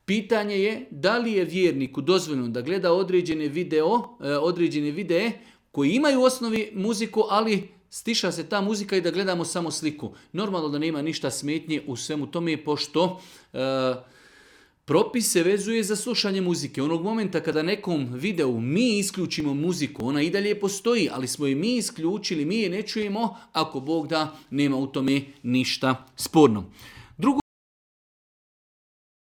Pitanje je da li je vjerniku dozvoljeno da gleda određene videe koji imaju u osnovi muziku, ali stiša se ta muzika i da gledamo samo sliku. Normalno da nema ništa smetnje u svemu tome, pošto propis se vezuje za slušanje muzike. Onog momenta kada nekom videu mi isključimo muziku, ona i dalje postoji, ali smo je mi isključili, mi je ne čujemo, ako Bog da, nema u tome ništa sporno.